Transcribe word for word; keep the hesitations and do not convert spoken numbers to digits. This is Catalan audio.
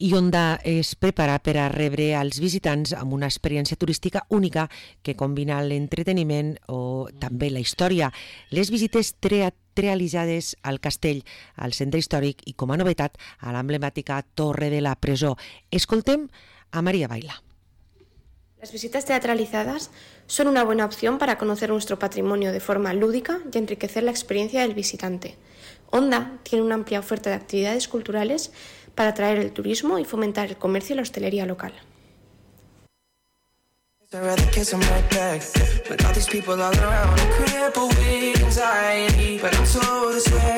I Onda es prepara per a rebre als visitants amb una experiència turística única que combina l'entreteniment o també la història. Les visites teatralitzades al castell, al centre històric i, com a novetat, a l'emblemàtica Torre de la Presó. Escoltem a María Baila. Las visitas teatralizadas son una buena opción para conocer nuestro patrimonio de forma lúdica y enriquecer la experiencia del visitante. Onda tiene una amplia oferta de actividades culturales para atraer el turismo y fomentar el comercio y la hostelería local.